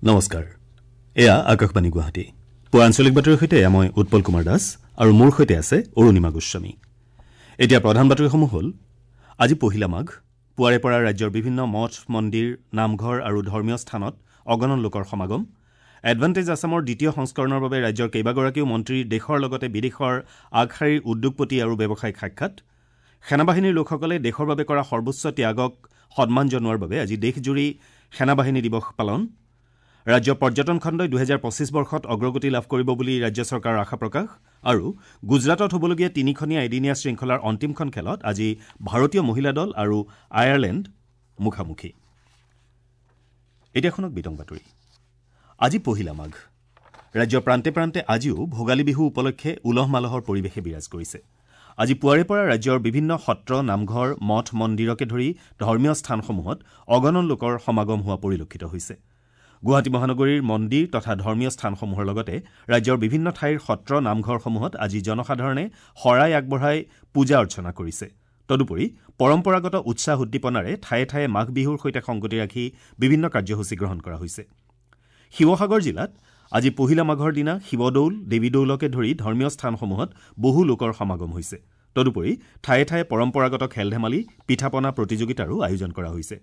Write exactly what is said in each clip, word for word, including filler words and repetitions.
নমস্কাৰ, এয়া আকাশবাণী গুৱাহাটী। পুৱা আঞ্চলিক বাতৰিৰ সৈতে এয়া মই উৎপল কুমাৰ দাস আৰু মোৰ সৈতে আছে অৰুণিমা গোস্বামী। এতিয়া প্ৰধান বাতৰিসমূহ হ'ল, আজি পহিলা মাঘ। পুৱাৰে পৰা ৰাজ্যৰ বিভিন্ন মঠ, মন্দিৰ, নামঘৰ আৰু ধৰ্মীয় স্থানত অগণন লোকৰ সমাগম। এডভান্টেজ আছামৰ দ্বিতীয় সংস্কৰণৰ বাবে ৰাজ্যৰ কেইবাগৰাকীও মন্ত্ৰীৰ দেশৰ লগতে বিদেশৰ আগশাৰীৰ উদ্যোগপতি আৰু ব্যৱসায়িক সাক্ষাৎ। সেনাবাহিনীৰ লোকসকলে দেশৰ বাবে কৰা সৰ্বোচ্চ ত্যাগক সন্মান জনোৱাৰ বাবে আজি দেশজুৰি সেনাবাহিনী দিৱস পালন। ৰাজ্যৰ পৰ্যটন খণ্ডই দুহেজাৰ পঁচিছ বৰ্ষত অগ্ৰগতি লাভ কৰিব বুলি ৰাজ্য চৰকাৰৰ আশা প্ৰকাশ। আৰু গুজৰাটত হ'বলগীয়া তিনিখনীয়া এদিনীয়া শৃংখলাৰ অন্তিমখন খেলত আজি ভাৰতীয় মহিলা দল আৰু আয়াৰলেণ্ড মুখামুখি। এতিয়া শুনক বিতং বাতৰি। আজি পহিলা মাঘ। ৰাজ্যৰ প্ৰান্তে প্ৰান্তে আজিও ভোগালী বিহু উপলক্ষে উলহ মালহৰ পৰিৱেশে বিৰাজ কৰিছে। আজি পুৱাৰে পৰা ৰাজ্যৰ বিভিন্ন সত্ৰ, নামঘৰ, মঠ, মন্দিৰকে ধৰি ধৰ্মীয় স্থানসমূহত অগণন লোকৰ সমাগম হোৱা পৰিলক্ষিত হৈছে। গুৱাহাটী মহানগৰীৰ মন্দিৰ তথা ধৰ্মীয় স্থানসমূহৰ লগতে ৰাজ্যৰ বিভিন্ন ঠাইৰ সত্ৰ, নামঘৰসমূহত আজি জনসাধাৰণে শৰাই আগবঢ়াই পূজা অৰ্চনা কৰিছে। তদুপৰি পৰম্পৰাগত উৎসাহ উদ্দীপনাৰে ঠায়ে ঠায়ে মাঘ বিহুৰ সৈতে সংগতি ৰাখি বিভিন্ন কাৰ্যসূচী গ্ৰহণ কৰা হৈছে। শিৱসাগৰ জিলাত আজি পহিলা মাঘৰ দিনা শিৱদৌল, দেৱীদৌলকে ধৰি ধৰ্মীয় স্থানসমূহত বহু লোকৰ সমাগম হৈছে। তদুপৰি ঠায়ে ঠায়ে পৰম্পৰাগত খেল ধেমালি, পিঠা পনা প্ৰতিযোগিতাৰো আয়োজন কৰা হৈছে।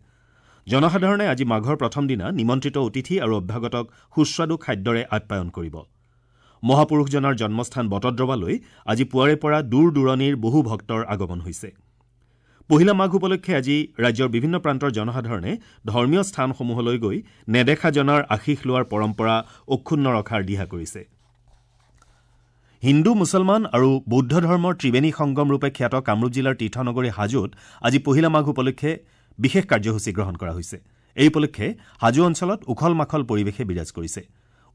জনসাধাৰণে আজি মাঘৰ প্ৰথম দিনা নিমন্ত্ৰিত অতিথি আৰু অভ্যাগতক সুস্বাদু খাদ্যৰে আপ্যায়ন কৰিব। মহাপুৰুষজনাৰ জন্মস্থান বটদ্ৰৱালৈ আজি পুৱাৰে পৰা দূৰ দূৰণিৰ বহু ভক্তৰ আগমন হৈছে। পহিলা মাঘ উপলক্ষে আজি ৰাজ্যৰ বিভিন্ন প্ৰান্তৰ জনসাধাৰণে ধৰ্মীয় স্থানসমূহলৈ গৈ নেদেখাজনাৰ আশীষ লোৱাৰ পৰম্পৰা অক্ষুণ্ণ ৰখাৰ দিহা কৰিছে। হিন্দু, মুছলমান আৰু বৌদ্ধ ধৰ্মৰ ত্ৰিবেণী সংগম ৰূপে খ্যাত কামৰূপ জিলাৰ তীৰ্থনগৰী হাজোত আজি পহিলা মাঘ উপলক্ষে বিশেষ কাৰ্যসূচী গ্ৰহণ কৰা হৈছে। এই উপলক্ষে হাজো অঞ্চলত উখল মাখল পৰিৱেশে বিৰাজ কৰিছে।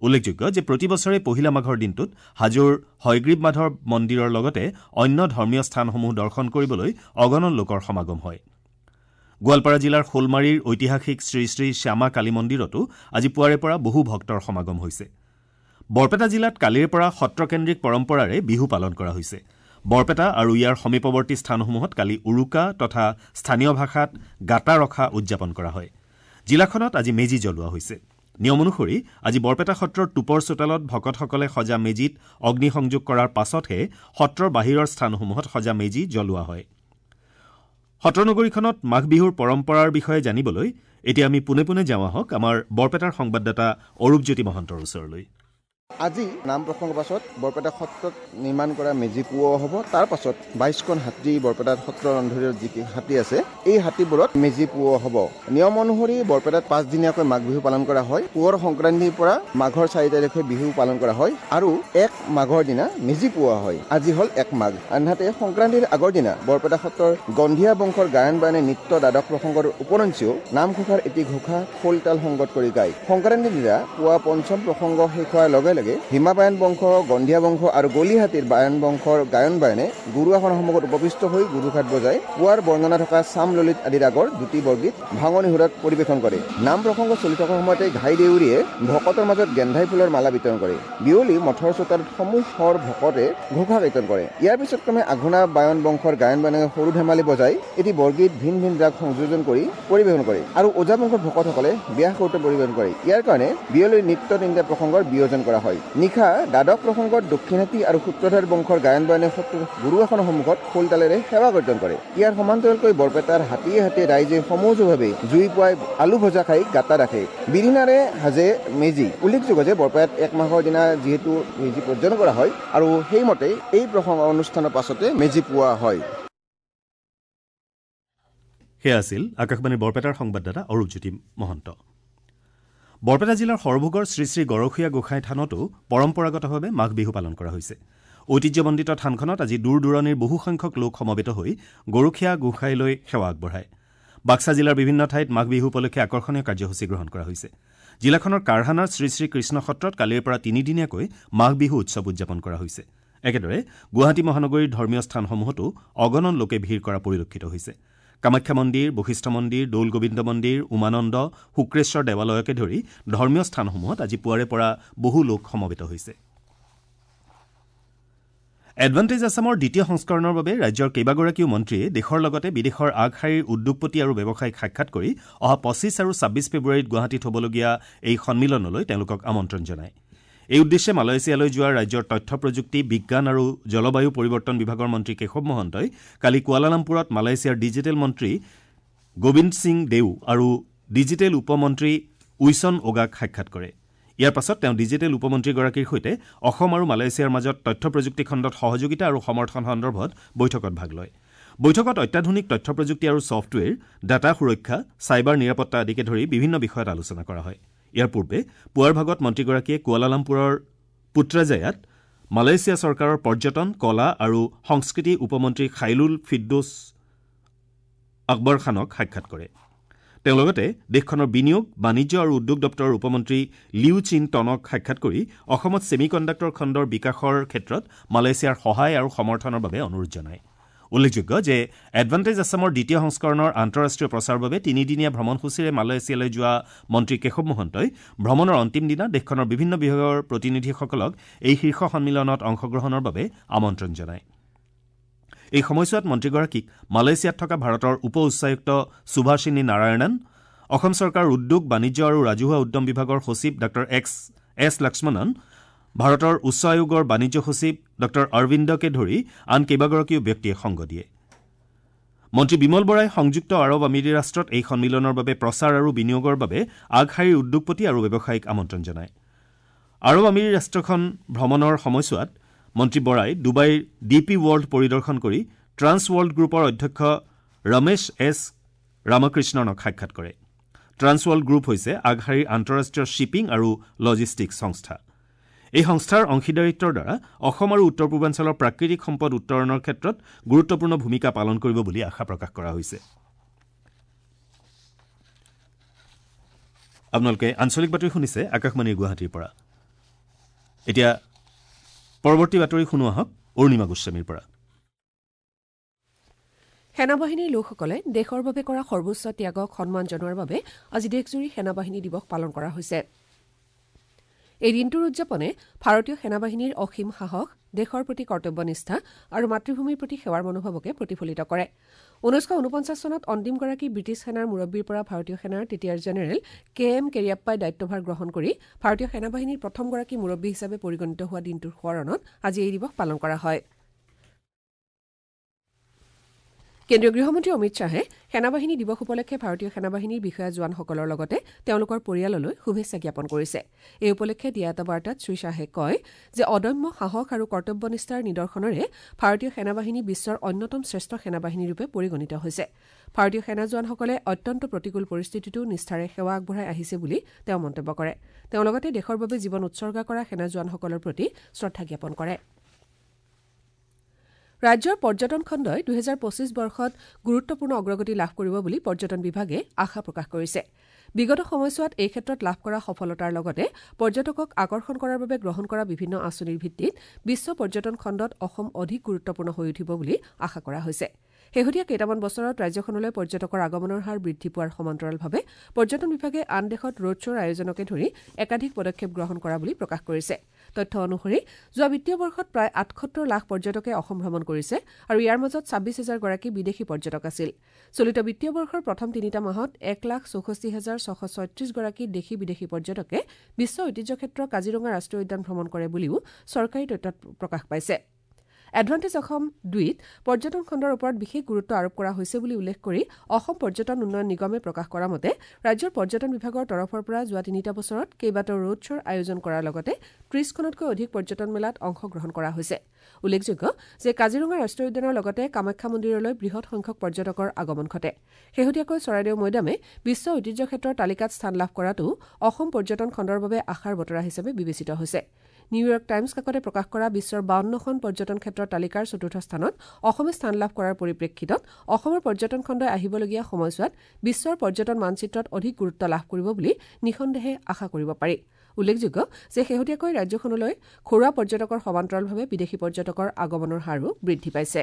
উল্লেখযোগ্য যে প্ৰতি বছৰে পহিলা মাঘৰ দিনটোত হাজোৰ হয়গ্ৰীৱ মাধৱ মন্দিৰৰ লগতে অন্য ধৰ্মীয় স্থানসমূহ দৰ্শন কৰিবলৈ অগণন লোকৰ সমাগম হয়। গোৱালপাৰা জিলাৰ শোলমাৰীৰ ঐতিহাসিক শ্ৰী শ্ৰী শ্যামা কালী মন্দিৰতো আজি পুৱাৰে পৰা বহু ভক্তৰ সমাগম হৈছে। বৰপেটা জিলাত কালিৰে পৰা সত্ৰকেন্দ্ৰিক পৰম্পৰাৰে বিহু পালন কৰা হৈছে। বৰপেটা আৰু ইয়াৰ সমীপৱৰ্তী স্থানসমূহত কালি উৰুকা তথা স্থানীয় ভাষাত গাতা ৰখা উদযাপন কৰা হয়। জিলাখনত আজি মেজি জ্বলোৱা হৈছে। নিয়ম অনুসৰি আজি বৰপেটা সত্ৰৰ টোপৰ চোতালত ভকতসকলে সজা মেজিত অগ্নিসংযোগ কৰাৰ পাছতহে সত্ৰৰ বাহিৰৰ স্থানসমূহত সজা মেজি জ্বলোৱা হয়। সত্ৰনগৰীখনত মাঘ বিহুৰ পৰম্পৰাৰ বিষয়ে জানিবলৈ এতিয়া আমি পোনে পোনে যাওঁ আহক আমাৰ বৰপেটাৰ সংবাদদাতা অৰূপজ্যোতি মহন্তৰ ওচৰলৈ। আজি নাম প্ৰসংগৰ পাছত বৰপেটা সত্ৰত নিৰ্মাণ কৰা মেজি পুওৱা হ'ব। তাৰ পাছত বাইশখন হাতী বৰপেটাত সত্ৰৰ অন্ধৰীত যি হাতী আছে এই হাতীবোৰত মেজি পুওৱা হ'ব। নিয়ম অনুসৰি বৰপেটাত পাঁচদিনীয়াকৈ মাঘ বিহু পালন কৰা হয়। পুৱৰ সংক্ৰান্তিৰ পৰা মাঘৰ চাৰি তাৰিখে বিহু পালন কৰা হয় আৰু এক মাঘৰ দিনা মেজি পুওৱা হয়। আজি হ'ল এক মাঘ। আনহাতে সংক্ৰান্তিৰ আগৰ দিনা বৰপেটা সত্ৰৰ গন্ধীয়া বংশৰ গায়ন বায়নে নৃত্য দ্বাদশ প্ৰসংগৰ উপৰঞ্চিও নামঘোষাৰ এটি ঘোষা খোল তাল সংগত কৰি গায়। সংক্ৰান্তিৰ দিনা পুৱা পঞ্চম প্ৰসংগ শেষ হোৱাৰ লগে লগে ভীমা বায়ন বংশ, গন্ধীয়া বংশ আৰু গলিহাতীৰ বায়ন বংশৰ গায়ন বায়নে গুৰু আসনৰ সন্মুখত উপবিষ্ট হৈ গুৰুঘাট বজাই পুৱাৰ বৰ্ণনা থকা চাম ললিত আদি ৰাগৰ দুটি বৰগীত ভাঙনি সুৰত পৰিৱেশন কৰে। নাম প্ৰসংগ চলি থকাৰ সময়তে ঘাই দেউৰীয়ে ভকতৰ মাজত গেন্ধাই ফুলৰ মালা বিতৰণ কৰে। বিয়লি মঠৰ চোতালত সমূহৰ ভকতে ঘোষা কীৰ্তন কৰে। ইয়াৰ পিছত ক্ৰমে আঘোণা বায়ন বংশৰ গায়ন বায়নে সৰু ধেমালি বজাই এটি বৰগীত ভিন ভিন ৰাগ সংযোজন কৰি পৰিৱেশন কৰে আৰু ওজা বংশৰ ভকতসকলে ব্যাস কীৰ্তন পৰিৱেশন কৰে। ইয়াৰ কাৰণে বিয়লি নৃত্য তিনিটা প্ৰসংগৰ বিয়োজন কৰা হয়। নিশা দ্বাদশ প্ৰসংগত দক্ষিণহাতী আৰু সূত্ৰধাৰ বংশৰ গায়ন বায়নে সত্ৰৰ গুৰু আসনৰ সন্মুখত খোল তালেৰে সেৱা কীৰ্তন কৰে। ইয়াৰ সমান্তৰালকৈ বৰপেটাৰ হাতীয়ে হাতীয়ে ৰাইজে সমজুৱাভাৱে জুই পুৱাই আলু ভজা খাই গাতা ৰাখে। বিৰিণাৰে সাজে মেজি। উল্লেখযোগ্য যে বৰপেটাত এক মাহৰ দিনা যিহেতু মেজি প্ৰজ্বলন কৰা হয় আৰু সেইমতে এই প্ৰসংগ অনুষ্ঠানৰ পাছতে মেজি পুওৱা হয়। সেয়া আছিল আকাশবাণীৰ বৰপেটাৰ সংবাদদাতা অৰূপজ্যোতি মহন্ত। বৰপেটা জিলাৰ সৰভোগৰ শ্ৰী শ্ৰী গৰখীয়া গোসাঁই থানতো পৰম্পৰাগতভাৱে মাঘ বিহু পালন কৰা হৈছে। ঐতিহ্যমণ্ডিত থানখনত আজি দূৰ দূৰণিৰ বহুসংখ্যক লোক সমবেত হৈ গৰখীয়া গোসাঁইলৈ সেৱা আগবঢ়ায়। বাক্সা জিলাৰ বিভিন্ন ঠাইত মাঘ বিহু উপলক্ষে আকৰ্ষণীয় কাৰ্যসূচী গ্ৰহণ কৰা হৈছে। জিলাখনৰ কাৰহানাৰ শ্ৰী শ্ৰী কৃষ্ণ সত্ৰত কালিৰ পৰা তিনিদিনীয়াকৈ মাঘ বিহু উৎসৱ উদযাপন কৰা হৈছে। একেদৰে গুৱাহাটী মহানগৰীৰ ধৰ্মীয় স্থানসমূহতো অগণন লোকে ভিৰ কৰা পৰিলক্ষিত হৈছে। কামাখ্যা মন্দিৰ, বশিষ্ঠ মন্দিৰ, দৌল গোবিন্দ মন্দিৰ, উমানন্দ, শুক্ৰেশ্বৰ দেৱালয়কে ধৰি ধৰ্মীয় স্থানসমূহত আজি পুৱাৰে পৰা বহু লোক সমবেত হৈছে। এডভান্টেজ আছামৰ দ্বিতীয় সংস্কৰণৰ বাবে ৰাজ্যৰ কেইবাগৰাকীও মন্ত্ৰীয়ে দেশৰ লগতে বিদেশৰ আগশাৰীৰ উদ্যোগপতি আৰু ব্যৱসায়ীক সাক্ষাৎ কৰি অহা পঁচিছ আৰু ছাব্বিছ ফেব্ৰুৱাৰীত গুৱাহাটীত হ'বলগীয়া এই সন্মিলনলৈ তেওঁলোকক আমন্ত্ৰণ জনায়। এই উদ্দেশ্যে মালয়েছিয়ালৈ যোৱা ৰাজ্যৰ তথ্য প্ৰযুক্তি, বিজ্ঞান আৰু জলবায়ু পৰিৱৰ্তন বিভাগৰ মন্ত্ৰী কেশৱ মহন্তই কালি কুৱালালামপুৰত মালয়েছিয়াৰ ডিজিটেল মন্ত্ৰী গোবিন্দ সিং দেউ আৰু ডিজিটেল উপমন্ত্ৰী উইছন ওগাক সাক্ষাৎ কৰে। ইয়াৰ পাছত তেওঁ ডিজিটেল উপমন্ত্ৰীগৰাকীৰ সৈতে অসম আৰু মালয়েছিয়াৰ মাজত তথ্য প্ৰযুক্তি খণ্ডত সহযোগিতা আৰু সমৰ্থন সন্দৰ্ভত বৈঠকত ভাগ লয়। বৈঠকত অত্যাধুনিক তথ্য প্ৰযুক্তি আৰু ছফ্টৱেৰ, ডাটা সুৰক্ষা, চাইবাৰ নিৰাপত্তা আদিকে ধৰি বিভিন্ন বিষয়ত আলোচনা কৰা হয়। ইয়াৰ পূৰ্বে পুৱাৰ ভাগত মন্ত্ৰীগৰাকীয়ে কুৱালালামপুৰৰ পুত্ৰাজায়াত মালয়েছিয়া চৰকাৰৰ পৰ্যটন, কলা আৰু সংস্কৃতি উপমন্ত্ৰী খাইলুল ফিদ্দোছ আকবৰ খানক সাক্ষাৎ কৰে। তেওঁ লগতে দেশখনৰ বিনিয়োগ, বাণিজ্য আৰু উদ্যোগ দপ্তৰৰ উপমন্ত্ৰী লিউ চিন টনক সাক্ষাৎ কৰি অসমত ছেমি কণ্ডাক্টৰ খণ্ডৰ বিকাশৰ ক্ষেত্ৰত মালয়েছিয়াৰ সহায় আৰু সমৰ্থনৰ বাবে অনুৰোধ জনায়। উল্লেখযোগ্য যে এডভান্টেজ আছামৰ দ্বিতীয় সংস্কৰণৰ আন্তঃৰাষ্ট্ৰীয় প্ৰচাৰৰ বাবে তিনিদিনীয়া ভ্ৰমণসূচীৰে মালয়েছিয়ালৈ যোৱা মন্ত্ৰী কেশৱ মহন্তই ভ্ৰমণৰ অন্তিম দিনা দেশখনৰ বিভিন্ন বিভাগৰ প্ৰতিনিধিসকলক এই শীৰ্ষ সন্মিলনত অংশগ্ৰহণৰ বাবে আমন্ত্ৰণ জনায়। এই সময়ছোৱাত মন্ত্ৰীগৰাকীক মালয়েছিয়াত থকা ভাৰতৰ উপ উচ্চায়ুক্ত সুভাষিনী নাৰায়ণন, অসম চৰকাৰৰ উদ্যোগ, বাণিজ্য আৰু ৰাজহুৱা উদ্যম বিভাগৰ সচিব ডাঃ এক্স এছ লক্ষ্মণন, ভাৰতৰ উচ্চ আয়োগৰ বাণিজ্য সচিব ডাঃ অৰবিন্দকে ধৰি আন কেইবাগৰাকীও ব্যক্তিয়ে সংগ দিয়ে। মন্ত্ৰী বিমল বৰাই সংযুক্ত আৰৱ আমিৰি ৰাষ্ট্ৰত এই সন্মিলনৰ বাবে প্ৰচাৰ আৰু বিনিয়োগৰ বাবে আগশাৰীৰ উদ্যোগপতি আৰু ব্যৱসায়ীক আমন্ত্ৰণ জনায়। আৰৱ আমিৰি ৰাষ্ট্ৰখন ভ্ৰমণৰ সময়ছোৱাত মন্ত্ৰী বৰাই ডুবাইৰ ডি পি ৱৰ্ল্ড পৰিদৰ্শন কৰি ট্ৰান্স ৱৰ্ল্ড গ্ৰুপৰ অধ্যক্ষ ৰমেশ এছ ৰামকৃষ্ণনক সাক্ষাৎ কৰে। ট্ৰান্স ৱৰ্ল্ড গ্ৰুপ হৈছে আগশাৰীৰ আন্তঃৰাষ্ট্ৰীয় শ্বিপিং আৰু লজিষ্টিক্স সংস্থা। এই সংস্থাৰ অংশীদাৰিত্বৰ দ্বাৰা অসম আৰু উত্তৰ পূৰ্বাঞ্চলৰ প্ৰাকৃতিক সম্পদ উত্তৰণৰ ক্ষেত্ৰত গুৰুত্বপূৰ্ণ ভূমিকা পালন কৰিব বুলি আশা প্ৰকাশ কৰা হৈছে। আপোনালোকে আঞ্চলিক বাতৰি শুনিছে আকাশবাণীৰ গুৱাহাটীৰ পৰা। এতিয়া পৰৱৰ্তী বাতৰি শুনো আহক অৰুণিমা গোস্বামীৰ পৰা। সেনাবাহিনীৰ লোকসকলে দেশৰ বাবে কৰা সৰ্বোচ্চ ত্যাগক সন্মান জনোৱাৰ বাবে আজি দেশজুৰি সেনাবাহিনী দিৱস পালন কৰা হৈছে। এই দিনটোৰ উদযাপনে ভাৰতীয় সেনাবাহিনীৰ অসীম সাহস, দেশৰ প্ৰতি কৰ্তব্যনিষ্ঠা আৰু মাতৃভূমিৰ প্ৰতি সেৱাৰ মনোভাৱকে প্ৰতিফলিত কৰে। ঊনৈছশ ঊনপঞ্চাছ চনত অন্তিমগৰাকী ব্ৰিটিছ সেনাৰ মুৰব্বীৰ পৰা ভাৰতীয় সেনাৰ তেতিয়াৰ জেনেৰেল কে এম কেৰিয়াপ্পাই দায়িত্বভাৰ গ্ৰহণ কৰি ভাৰতীয় সেনাবাহিনীৰ প্ৰথমগৰাকী মুৰব্বী হিচাপে পৰিগণিত হোৱা দিনটোৰ সোঁৱৰণত আজি এই দিৱস পালন কৰা হয়। কেন্দ্ৰীয় গৃহমন্ত্ৰী অমিত শ্বাহে সেনাবাহিনী দিৱস উপলক্ষে ভাৰতীয় সেনাবাহিনীৰ বিষয়া জোৱানসকলৰ লগতে তেওঁলোকৰ পৰিয়াললৈ শুভেচ্ছা জ্ঞাপন কৰিছে। এই উপলক্ষে দিয়া এটা বাৰ্তাত শ্ৰীশ্বাহে কয় যে অদম্য সাহস আৰু কৰ্তব্যনিষ্ঠাৰ নিদৰ্শনেৰে ভাৰতীয় সেনাবাহিনী বিশ্বৰ অন্যতম শ্ৰেষ্ঠ সেনাবাহিনীৰূপে পৰিগণিত হৈছে। ভাৰতীয় সেনা জোৱানসকলে অত্যন্ত প্ৰতিকূল পৰিস্থিতিতো নিষ্ঠাৰে সেৱা আগবঢ়াই আহিছে বুলি তেওঁ মন্তব্য কৰে। তেওঁ লগতে দেশৰ বাবে জীৱন উৎসৰ্গা কৰা সেনা জোৱানসকলৰ প্ৰতি শ্ৰদ্ধা জ্ঞাপন কৰে। ৰাজ্যৰ পৰ্যটন খণ্ডই দুহেজাৰ পঁচিছ বৰ্ষত গুৰুত্বপূৰ্ণ অগ্ৰগতি লাভ কৰিব বুলি পৰ্যটন বিভাগে আশা প্ৰকাশ কৰিছে। বিগত সময়ছোৱাত এই ক্ষেত্ৰত লাভ কৰা সফলতাৰ লগতে পৰ্যটকক আকৰ্ষণ কৰাৰ বাবে গ্ৰহণ কৰা বিভিন্ন আঁচনিৰ ভিত্তিত বিশ্ব পৰ্যটন খণ্ডত অসম অধিক গুৰুত্বপূৰ্ণ হৈ উঠিব বুলি আশা কৰা হৈছে। শেহতীয়া কেইটামান বছৰত ৰাজ্যখনলৈ পৰ্যটকৰ আগমনৰ হাৰ বৃদ্ধি পোৱাৰ সমান্তৰালভাৱে পৰ্যটন বিভাগে আন দেশত ৰোড শ্ব'ৰ আয়োজনকে ধৰি একাধিক পদক্ষেপ গ্ৰহণ কৰা বুলি প্ৰকাশ কৰিছে। তথ্য অনুসৰি যোৱা বিত্তীয় বৰ্ষত প্ৰায় আঠসত্তৰ লাখ পৰ্যটকে অসম ভ্ৰমণ কৰিছে আৰু ইয়াৰ মাজত ছাব্বিছ হাজাৰগৰাকী বিদেশী পৰ্যটক আছিল। চলিত বিত্তীয় বৰ্ষৰ প্ৰথম তিনিটা মাহত এক লাখ চৌষষ্ঠি হাজাৰ ছশ ছয়ত্ৰিছগৰাকী দেশী বিদেশী পৰ্যটকে বিশ্ব ঐতিহ্যক্ষেত্ৰ কাজিৰঙা ৰাষ্ট্ৰীয় উদ্যান ভ্ৰমণ কৰে বুলিও চৰকাৰী তথ্যত প্ৰকাশ পাইছে। এডভান্টেজ অসম দুইত পৰ্যটন খণ্ডৰ ওপৰত বিশেষ গুৰুত্ব আৰোপ কৰা হৈছে বুলি উল্লেখ কৰি অসম পৰ্যটন উন্নয়ন নিগমে প্ৰকাশ কৰা মতে ৰাজ্যৰ পৰ্যটন বিভাগৰ তৰফৰ পৰা যোৱা তিনিটা বছৰত কেইবাটাও ৰোড শ্ব'ৰ আয়োজন কৰাৰ লগতে ত্ৰিশখনতকৈ অধিক পৰ্যটন মেলাত অংশগ্ৰহণ কৰা হৈছে। উল্লেখযোগ্য যে কাজিৰঙা ৰাষ্ট্ৰীয় উদ্যানৰ লগতে কামাখ্যা মন্দিৰলৈ বৃহৎ সংখ্যক পৰ্যটকৰ আগমন ঘটে। শেহতীয়াকৈ চৰাইদেউ মৈদামে বিশ্ব ঐতিহ্যক্ষেত্ৰৰ তালিকাত স্থান লাভ কৰাটো অসম পৰ্যটন খণ্ডৰ বাবে আশাৰ বতৰা হিচাপে বিবেচিত হৈছে। নিউয়ৰ্ক টাইমছ কাকতে প্ৰকাশ কৰা বিশ্বৰ বাৱন্নখন পৰ্যটন ক্ষেত্ৰৰ তালিকাৰ চতুৰ্থ স্থানত অসমে স্থান লাভ কৰাৰ পৰিপ্ৰেক্ষিতত অসমৰ পৰ্যটন খণ্ডই আহিবলগীয়া সময়ছোৱাত বিশ্বৰ পৰ্যটন মানচিত্ৰত অধিক গুৰুত্ব লাভ কৰিব বুলি নিঃসন্দেহে আশা কৰিব পাৰি। উল্লেখযোগ্য যে শেহতীয়াকৈ ৰাজ্যখনলৈ ঘৰুৱা পৰ্যটকৰ সমান্তৰালভাৱে বিদেশী পৰ্যটকৰ আগমনৰ হাৰো বৃদ্ধি পাইছে।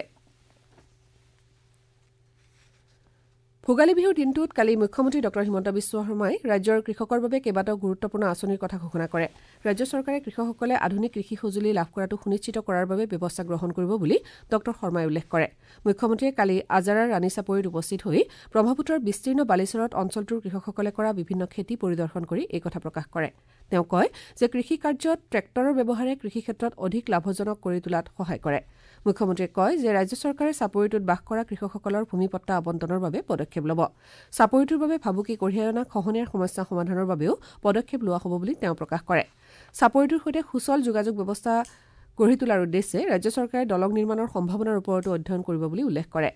ভোগালী বিহুৰ দিনটোত কালি মুখ্যমন্ত্ৰী ডঃ হিমন্ত বিশ্ব শৰ্মাই ৰাজ্যৰ কৃষকৰ বাবে কেইবাটাও গুৰুত্বপূৰ্ণ আঁচনিৰ কথা ঘোষণা কৰে। ৰাজ্য চৰকাৰে কৃষকসকলে আধুনিক কৃষি সঁজুলি লাভ কৰাটো সুনিশ্চিত কৰাৰ বাবে ব্যৱস্থা গ্ৰহণ কৰিব বুলি ডঃ শৰ্মাই উল্লেখ কৰে। মুখ্যমন্ত্ৰীয়ে কালি আজাৰাৰ ৰাণী চাপৰিত উপস্থিত হৈ ব্ৰহ্মপুত্ৰৰ বিস্তীৰ্ণ বালিচৰত অঞ্চলটোৰ কৃষকসকলে কৰা বিভিন্ন খেতি পৰিদৰ্শন কৰি এই কথা প্ৰকাশ কৰে। তেওঁ কয় যে কৃষি কাৰ্যত ট্ৰেক্টৰৰ ব্যৱহাৰে কৃষি ক্ষেত্ৰত অধিক লাভজনক কৰি তোলাত সহায় কৰে। মুখ্যমন্ত্ৰীয়ে কয় যে ৰাজ্য চৰকাৰে চাপৰিটোত বাস কৰা কৃষকসকলৰ ভূমিপট্টা আবণ্টনৰ বাবে পদক্ষেপ ল'ব। চাপৰিটোৰ বাবে ভাবুকি কঢ়িয়াই অনা খহনীয়াৰ সমস্যা সমাধানৰ বাবেও পদক্ষেপ লোৱা হ'ব বুলি তেওঁ প্ৰকাশ কৰে। চাপৰিটোৰ সৈতে সুচল যোগাযোগ ব্যৱস্থা গঢ়ি তোলাৰ উদ্দেশ্যে ৰাজ্য চৰকাৰে দলং নিৰ্মাণৰ সম্ভাৱনাৰ ওপৰতো অধ্যয়ন কৰিব বুলি উল্লেখ কৰে।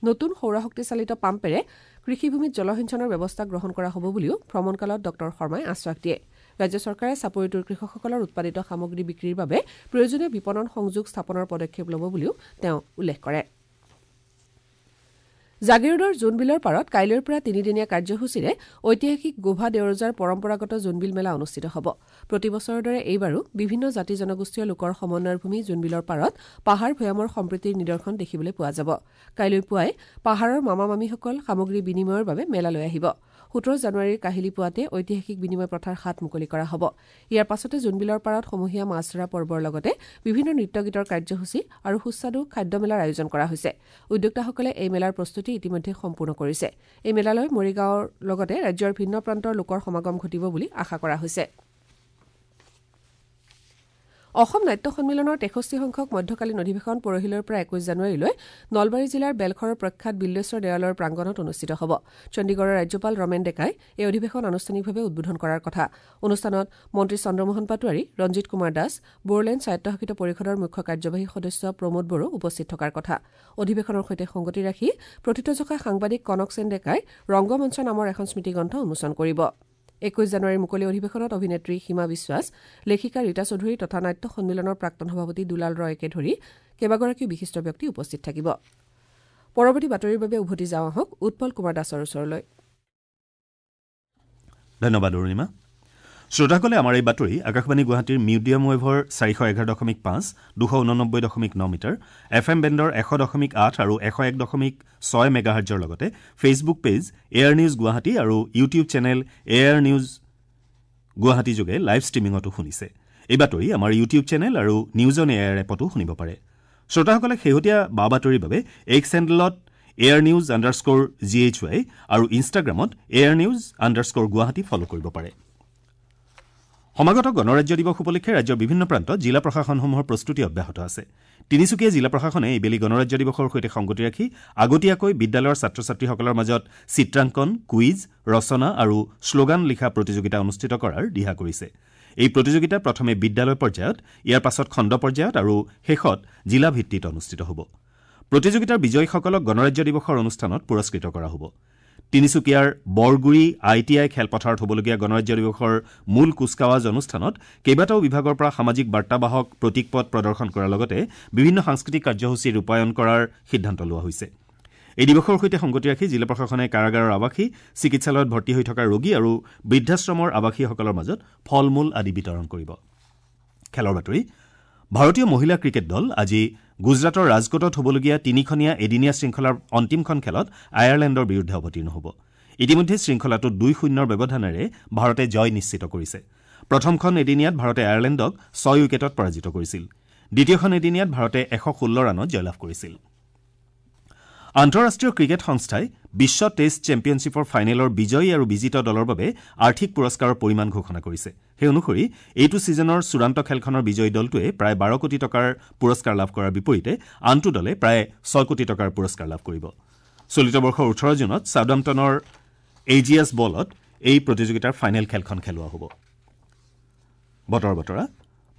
নতুন সৌৰশক্তিচালিত পাম্পেৰে কৃষিভূমিত জলসিঞ্চনৰ ব্যৱস্থা গ্ৰহণ কৰা হ'ব বুলিও ভ্ৰমণকালত ডঃ শৰ্মাই আশ্বাস দিয়ে। ৰাজ্য চৰকাৰে চাপৰিটোৰ কৃষকসকলৰ উৎপাদিত সামগ্ৰী বিক্ৰীৰ বাবে প্ৰয়োজনীয় বিপণন সংযোগ স্থাপনৰ পদক্ষেপ ল'ব বুলিও তেওঁ উল্লেখ কৰে। জাগীৰোডৰ জোনবিলৰ পাৰত কাইলৈৰ পৰা তিনিদিনীয়া কাৰ্যসূচীৰে ঐতিহাসিক গোভা দেওৰজাৰ পৰম্পৰাগত জোনবিল মেলা অনুষ্ঠিত হ'ব। প্ৰতি বছৰৰ দৰে এইবাৰো বিভিন্ন জাতি জনগোষ্ঠীয় লোকৰ সমন্বয়ৰ ভূমি জোনবিলৰ পাৰত পাহাৰ ভৈয়ামৰ সম্প্ৰীতিৰ নিদৰ্শন দেখিবলৈ পোৱা যাব। কাইলৈ পুৱাই পাহাৰৰ মামা মামীসকল সামগ্ৰী বিনিময়ৰ বাবে মেলালৈ আহিব। সোতৰ জানুৱাৰীৰ কাহিলী পুৱাতে ঐতিহাসিক বিনিময় প্ৰথাৰ হাত মুকলি কৰা হ'ব। ইয়াৰ পাছতে জোনবিলৰ পাৰত সমূহীয়া মাছ ধৰা পৰ্বৰ লগতে বিভিন্ন নৃত্য গীতৰ কাৰ্যসূচী আৰু সুস্বাদু খাদ্য মেলাৰ আয়োজন কৰা হৈছে। উদ্যোক্তাসকলে এই মেলাৰ প্ৰস্তুতি ইতিমধ্যে সম্পূৰ্ণ কৰিছে। এই মেলালৈ মৰিগাঁৱৰ লগতে ৰাজ্যৰ ভিন্ন প্ৰান্তৰ লোকৰ সমাগম ঘটিব বুলি আশা কৰা হৈছে। অসম নাট্য সন্মিলনৰ তেষষ্ঠি সংখ্যক মধ্যকালীন অধিৱেশন পৰহিলৈৰ পৰা একৈশ জানুৱাৰীলৈ নলবাৰী জিলাৰ বেলখৰৰ প্ৰখ্যাত বিল্লেশ্বৰ দেৱালয়ৰ প্ৰাংগণত অনুষ্ঠিত হ'ব। চণ্ডীগড়ৰ ৰাজ্যপাল ৰমেন ডেকাই এই অধিৱেশন আনুষ্ঠানিকভাৱে উদ্বোধন কৰাৰ কথা। অনুষ্ঠানত মন্ত্ৰী চন্দ্ৰমোহন পাটোৱাৰী, ৰঞ্জিত কুমাৰ দাস, বড়োলেণ্ড স্বায়ত্তশাসিত পৰিষদৰ মুখ্য কাৰ্যবাহী সদস্য প্ৰমোদ বড়ো উপস্থিত থকাৰ কথা। অধিৱেশনৰ সৈতে সংগতি ৰাখি প্ৰথিতযশা সাংবাদিক কনক সেন ডেকাই ৰংগমঞ্চ নামৰ এখন স্মৃতিগ্ৰন্থ উন্মোচন কৰিব। একৈশ জানুৱাৰীৰ মুকলি অধিৱেশনত অভিনেত্ৰী সীমা বিশ্বাস, লেখিকা ৰীতা চৌধুৰী তথা নাট্য সন্মিলনৰ প্ৰাক্তন সভাপতি দুলাল ৰয়কে ধৰি কেইবাগৰাকীও বিশিষ্ট ব্যক্তি উপস্থিত থাকিব। পৰৱৰ্তী বাতৰিৰ বাবে উভতি যাওঁ আহক উৎপল কুমাৰ দাসৰ ওচৰলৈ। ধন্যবাদ অৰুণিমা। শ্ৰোতাসকলে আমাৰ এই বাতৰি আকাশবাণী গুৱাহাটীৰ মিডিয়াম ৱেভৰ চাৰিশ এঘাৰ দশমিক পাঁচ, দুশ ঊননব্বৈ দশমিক ন মিটাৰ, এফ এম বেণ্ডৰ এশ দশমিক আঠ আৰু এশ এক দশমিক ছয় মেগাহাৰ্জৰ লগতে Facebook page AIR news Guwahati আৰু YouTube channel AIR news Guwahati যোগে লাইভ ষ্ট্ৰীমিঙতো শুনিছে। এই বাতৰি আমাৰ ইউটিউব চেনেল আৰু নিউজ অন এয়াৰ এপতো শুনিব পাৰে। শ্ৰোতাসকলে শেহতীয়া বা বাতৰিৰ বাবে এক্স হেণ্ডেলত AIR news underscore G H Y আৰু ইনষ্টাগ্ৰামত AIR news underscore Guwahati follow কৰিব পাৰে। সমাগত গণৰাজ্য দিৱস উপলক্ষে ৰাজ্যৰ বিভিন্ন প্ৰান্তত জিলা প্ৰশাসনসমূহৰ প্ৰস্তুতি অব্যাহত আছে। তিনিচুকীয়া জিলা প্ৰশাসনে এইবেলি গণৰাজ্য দিৱসৰ সৈতে সংগতি ৰাখি আগতীয়াকৈ বিদ্যালয়ৰ ছাত্ৰ ছাত্ৰীসকলৰ মাজত চিত্ৰাংকন, কুইজ, ৰচনা আৰু শ্লোগান লিখা প্ৰতিযোগিতা অনুষ্ঠিত কৰাৰ দিহা কৰিছে। এই প্ৰতিযোগিতা প্ৰথমে বিদ্যালয় পৰ্যায়ত, ইয়াৰ পাছত খণ্ড পৰ্যায়ত আৰু শেষত জিলা ভিত্তিত অনুষ্ঠিত হ'ব। প্ৰতিযোগিতাৰ বিজয়ীসকলক গণৰাজ্য দিৱসৰ অনুষ্ঠানত পুৰস্কৃত কৰা হ'ব। তিনিচুকীয়াৰ বৰগুৰি I T I খেলপথাৰত হ'বলগীয়া গণৰাজ্য দিৱসৰ মূল কুচকাৱাজ অনুষ্ঠানত কেইবাটাও বিভাগৰ পৰা সামাজিক বাৰ্তাবাহক প্ৰতীকপট প্ৰদৰ্শন কৰাৰ লগতে বিভিন্ন সাংস্কৃতিক কাৰ্যসূচী ৰূপায়ণ কৰাৰ সিদ্ধান্ত লোৱা হৈছে। এই দিৱসৰ সৈতে সংগতি ৰাখি জিলা প্ৰশাসনে কাৰাগাৰৰ আৱাসী, চিকিৎসালয়ত ভৰ্তি হৈ থকা ৰোগী আৰু বৃদ্ধাশ্ৰমৰ আৱাসীসকলৰ মাজত ফল মূল আদি বিতৰণ কৰিব। খেলৰ বাতৰি। ভাৰতীয় মহিলা ক্ৰিকেট দল আজি গুজৰাটৰ ৰাজকোটত হ'বলগীয়া তিনিখনীয়া এদিনীয়া শৃংখলাৰ অন্তিমখন খেলত আয়াৰলেণ্ডৰ বিৰুদ্ধে অৱতীৰ্ণ হ'ব। ইতিমধ্যে শৃংখলাটোত দুই শূন্যৰ ব্যৱধানেৰে ভাৰতে জয় নিশ্চিত কৰিছে। প্ৰথমখন এদিনীয়াত ভাৰতে আয়াৰলেণ্ডক ছয় উইকেটত পৰাজিত কৰিছিল। দ্বিতীয়খন এদিনীয়াত ভাৰতে এশ ষোল্ল ৰানত জয়লাভ কৰিছিল। আন্তঃৰাষ্ট্ৰীয় ক্ৰিকেট সংস্থাই বিশ্ব টেষ্ট চেম্পিয়নশ্বিপৰ ফাইনেলৰ বিজয়ী আৰু বিজিত দলৰ বাবে আৰ্থিক পুৰস্কাৰৰ পৰিমাণ ঘোষণা কৰিছে। সেই অনুসৰি এইটো ছিজনৰ চূড়ান্ত খেলখনৰ বিজয়ী দলটোৱে প্ৰায় বাৰ কোটি টকাৰ পুৰস্কাৰ লাভ কৰাৰ বিপৰীতে আনটো দলে প্ৰায় ছয় কোটি টকাৰ পুৰস্কাৰ লাভ কৰিব। চলিত বৰ্ষৰ ওঠৰ জুনত চাউদাম্পটনৰ এজিয়াছ বলত এই প্ৰতিযোগিতাৰ ফাইনেল খেলখন খেলোৱা হ'ব। বতৰ বতৰা।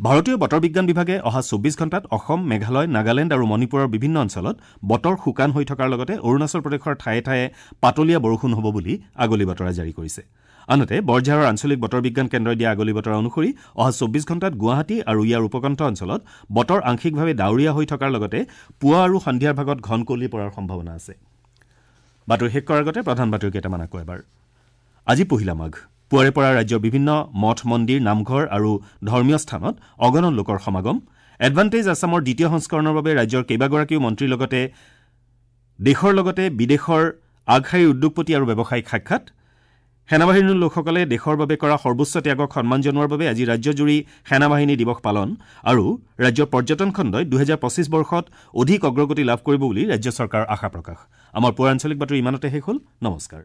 ভাৰতীয় বতৰ বিজ্ঞান বিভাগে অহা চৌব্বিছ ঘণ্টাত অসম, মেঘালয়, নাগালেণ্ড আৰু মণিপুৰৰ বিভিন্ন অঞ্চলত বতৰ শুকান হৈ থকাৰ লগতে অৰুণাচল প্ৰদেশৰ ঠায়ে ঠায়ে পাতলীয়া বৰষুণ হ'ব বুলি আগলি বতৰা জাৰি কৰিছে। আনহাতে বৰঝাৰৰ আঞ্চলিক বতৰ বিজ্ঞান কেন্দ্ৰই দিয়া আগলি বতৰা অনুসৰি অহা চৌব্বিছ ঘণ্টাত গুৱাহাটী আৰু ইয়াৰ উপকণ্ঠ অঞ্চলত বতৰ আংশিকভাৱে ডাৱৰীয়া হৈ থকাৰ লগতে পুৱা আৰু সন্ধিয়াৰ ভাগত ঘন কুঁৱলী পৰাৰ সম্ভাৱনা আছে। বাতৰি শেষ কৰাৰ আগতে প্ৰধান বাতৰি কেইটামান আকৌ এবাৰ। আজি পহিলা মাঘ। পুৱাৰে পৰা ৰাজ্যৰ বিভিন্ন মঠ, মন্দিৰ, নামঘৰ আৰু ধৰ্মীয় স্থানত অগণন লোকৰ সমাগম। এডভান্টেজ আছামৰ দ্বিতীয় সংস্কৰণৰ বাবে ৰাজ্যৰ কেইবাগৰাকীও মন্ত্ৰীৰ লগতে দেশৰ লগতে বিদেশৰ আগশাৰীৰ উদ্যোগপতি আৰু ব্যৱসায়িক সাক্ষাৎ। সেনাবাহিনীৰ লোকসকলে দেশৰ বাবে কৰা সৰ্বোচ্চ ত্যাগক সন্মান জনোৱাৰ বাবে আজি ৰাজ্যজুৰি সেনাবাহিনী দিৱস পালন। আৰু ৰাজ্যৰ পৰ্যটন খণ্ডই দুহেজাৰ পঁচিছ বৰ্ষত অধিক অগ্ৰগতি লাভ কৰিব বুলি ৰাজ্য চৰকাৰৰ আশা প্ৰকাশ। আমাৰ পুৱাৰ আঞ্চলিক বাতৰি ইমানতে শেষ হ'ল। নমস্কাৰ।